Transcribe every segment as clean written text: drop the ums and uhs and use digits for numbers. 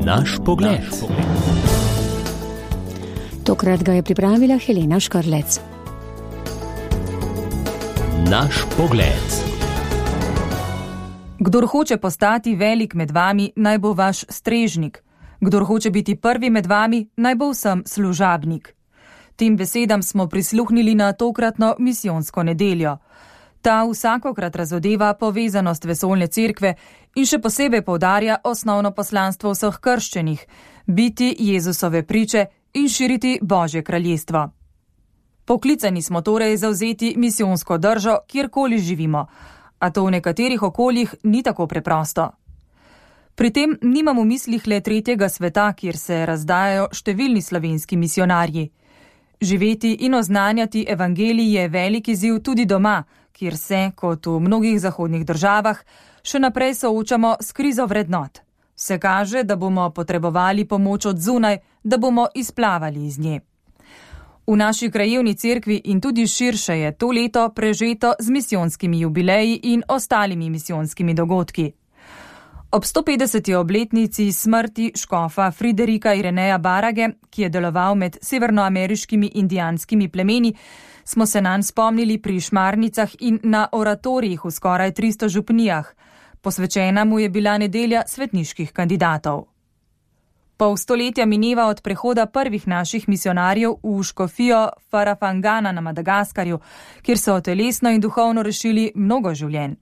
Naš pogled. Tokrat ga je pripravila Helena Škrlec. Naš pogled. Kdor hoče postati velik med vami, naj bo vaš strežnik. Kdor hoče biti prvi med vami, naj bo vsem služabnik. Tem besedam smo prisluhnili na tokratno misijonsko nedeljo. Ta vsakokrat razodeva povezanost vesoljne cerkve in še posebej poudarja osnovno poslanstvo vseh krščenih, biti Jezusove priče in širiti Božje kraljestvo. Poklicani smo torej zavzeti misijonsko držo, kjerkoli živimo, a to v nekaterih okoljih ni tako preprosto. Pri tem nimam v mislih le tretjega sveta, kjer se razdajajo številni slovenski misionarji. Živeti in oznanjati evangelij je velik izziv tudi doma, kjer se, kot v mnogih zahodnih državah, še naprej soočamo s krizo vrednot. Se kaže, da bomo potrebovali pomoč od zunaj, da bomo izplavali iz nje. V naši krajevni cerkvi in tudi širše je to leto prežeto z misijonskimi jubileji in ostalimi misijonskimi dogodki. Ob 150. obletnici smrti škofa Friderika Ireneja Barage, ki je deloval med severnoameriškimi indijanskimi plemeni, smo se nanj spomnili pri šmarnicah in na oratorijih v skoraj 300 župnijah. Posvečena mu je bila nedelja svetniških kandidatov. Pol stoletja mineva od prehoda prvih naših misionarjev v škofijo Farafangana na Madagaskarju, kjer so telesno in duhovno rešili mnogo življenj.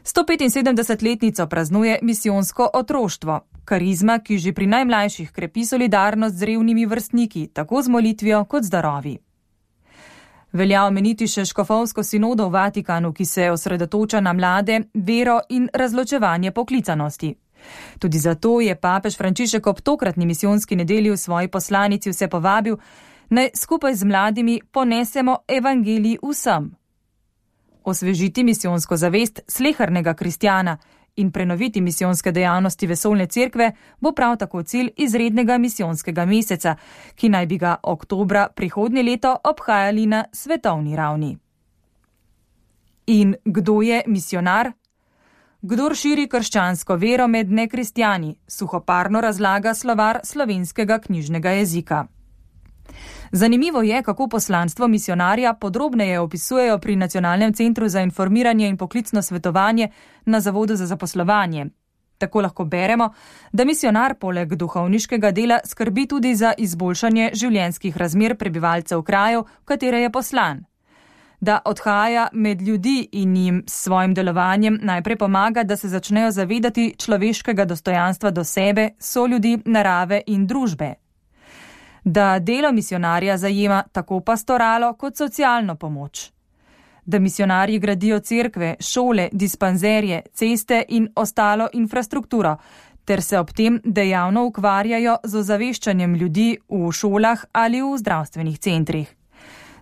175-letnico praznuje misijonsko otroštvo, karizma, ki že pri najmlajših krepi solidarnost z revnimi vrstniki, tako z molitvijo kot z darovi. Velja omeniti še škofovsko sinodo v Vatikanu, ki se osredotoča na mlade, vero in razločevanje poklicanosti. Tudi zato je papež Frančišek ob tokratni misijonski nedelji v svoji poslanici vse povabil, naj skupaj z mladimi ponesemo evangelij vsem. Osvežiti misijonsko zavest slehernega kristjana in prenoviti misijonske dejavnosti vesoljne cerkve bo prav tako cilj izrednega misijonskega meseca, ki naj bi ga oktobra prihodnje leto obhajali na svetovni ravni. In kdo je misijonar? Kdor širi krščansko vero med nekristjani, suhoparno razlaga slovar slovenskega knjižnega jezika. Zanimivo je, kako poslanstvo misijonarja podrobneje opisujejo pri Nacionalnem centru za informiranje in poklicno svetovanje na Zavodu za zaposlovanje. Tako lahko beremo, da misijonar poleg duhovniškega dela skrbi tudi za izboljšanje življenjskih razmer prebivalcev krajev, v katere je poslan. Da odhaja med ljudi in jim s svojim delovanjem najprej pomaga, da se začnejo zavedati človeškega dostojanstva do sebe, soljudi, narave in družbe. Da delo misijonarja zajema tako pastoralo kot socialno pomoč. Da misijonarji gradijo cerkve, šole, dispanzerje, ceste in ostalo infrastrukturo, ter se ob tem dejavno ukvarjajo z ozaveščanjem ljudi v šolah ali v zdravstvenih centrih.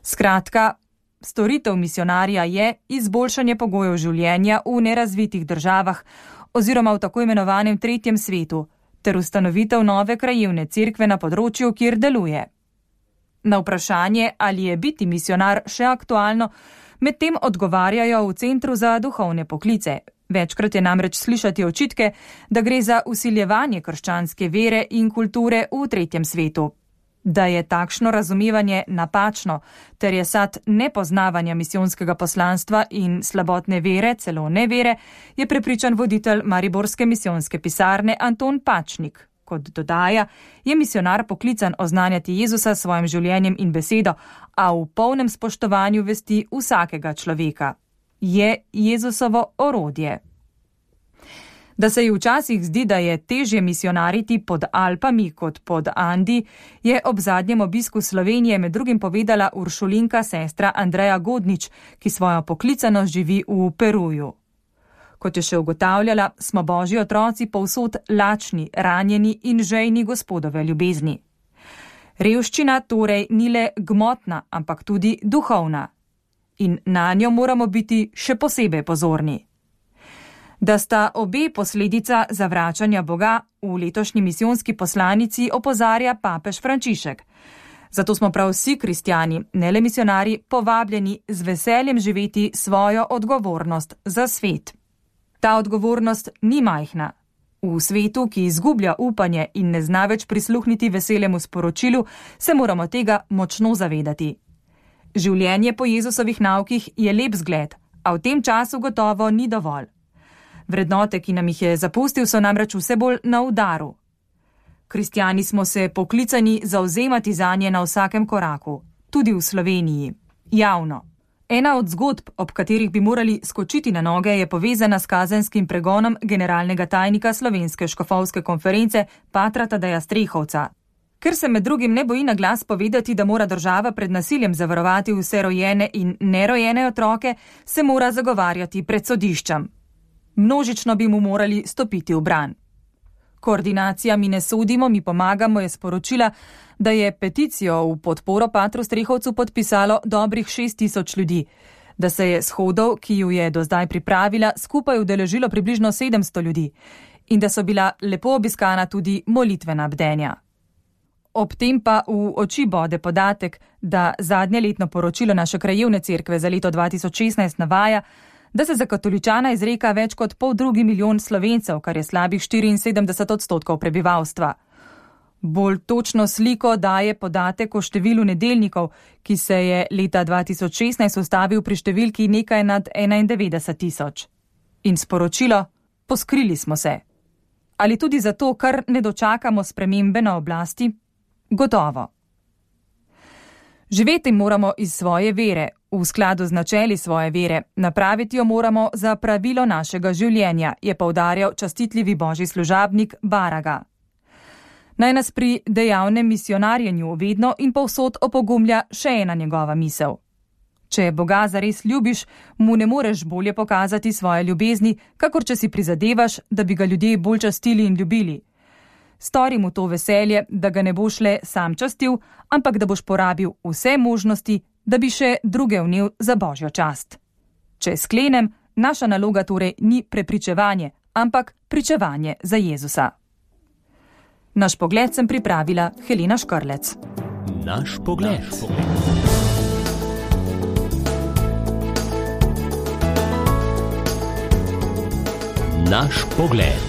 Skratka, storitev misijonarja je izboljšanje pogojev življenja v nerazvitih državah oziroma v tako imenovanem tretjem svetu, ter ustanovitev nove krajevne cerkve na področju, kjer deluje. Na vprašanje, ali je biti misijonar še aktualno, medtem odgovarjajo v Centru za duhovne poklice. Večkrat je namreč slišati očitke, da gre za vsiljevanje krščanske vere in kulture v tretjem svetu. Da je takšno razumevanje napačno, ter je sad nepoznavanja misijonskega poslanstva in slabotne vere, celo nevere, je prepričan voditelj mariborske misijonske pisarne Anton Pačnik. Kot dodaja, je misijonar poklican oznanjati Jezusa s svojim življenjem in besedo, a v polnem spoštovanju vesti vsakega človeka. Je Jezusovo orodje. Da se ji včasih zdi, da je težje misijonariti pod Alpami kot pod Andi, je ob zadnjem obisku Slovenije med drugim povedala uršulinka sestra Andreja Godnič, ki svojo poklicanost živi v Peruju. Kot je še ugotavljala, smo Božji otroci povsod lačni, ranjeni in žejni Gospodove ljubezni. Revščina torej ni le gmotna, ampak tudi duhovna. In na njo moramo biti še posebej pozorni. Da sta obe posledica zavračanja Boga, v letošnji misijonski poslanici opozarja papež Frančišek. Zato smo prav vsi kristjani, ne le misijonarji, povabljeni z veseljem živeti svojo odgovornost za svet. Ta odgovornost ni majhna. V svetu, ki izgublja upanje in ne zna več prisluhniti veselemu sporočilu, se moramo tega močno zavedati. Življenje po Jezusovih naukih je lep zgled, a v tem času gotovo ni dovolj. Vrednote, ki nam jih je zapustil, so namreč vse bolj na udaru. Kristjani smo se poklicani zavzemati zanje na vsakem koraku, tudi v Sloveniji, javno. Ena od zgodb, ob katerih bi morali skočiti na noge, je povezana s kazenskim pregonom generalnega tajnika Slovenske škofovske konference Patra Tadeja Strehovca. Ker se med drugim ne boji na glas povedati, da mora država pred nasiljem zavarovati vse rojene in nerojene otroke, se mora zagovarjati pred sodiščem. Množično bi mu morali stopiti v bran. Koordinacija Mi ne sodimo, mi pomagamo je sporočila, da je peticijo v podporo Patru Strehovcu podpisalo dobrih 6000 ljudi, da se je shodov, ki ju je do zdaj pripravila, skupaj udeležilo približno 700 ljudi in da so bila lepo obiskana tudi molitvena bdenja. Ob tem pa v oči bode podatek, da zadnje letno poročilo naše krajevne cerkve za leto 2016 navaja, da se za katoličana izreka več kot 2,5 milijona Slovencev, kar je slabih 74% prebivalstva. Bolj točno sliko daje podatek o številu nedeljnikov, ki se je leta 2016 ustavil pri številki nekaj nad 91 000. In sporočilo: poskrili smo se. Ali tudi zato, ker ne dočakamo spremembe na oblasti? Gotovo. Živeti moramo iz svoje vere, v skladu z načeli svoje vere, napraviti jo moramo za pravilo našega življenja, je poudarjal častitljivi božji služabnik Baraga. Naj nas pri dejavnem misionarjenju vedno in povsod opogumlja še ena njegova misel. Če Boga zares ljubiš, mu ne moreš bolje pokazati svoje ljubezni, kakor če si prizadevaš, da bi ga ljudje bolj častili in ljubili. Stori mu to veselje, da ga ne boš le sam častil, ampak da boš porabil vse možnosti, da bi še druge vnel za božjo čast. Če sklenem, naša naloga torej ni prepričevanje, ampak pričevanje za Jezusa. Naš pogled sem pripravila Helena Škrlec. Naš pogled. Naš pogled.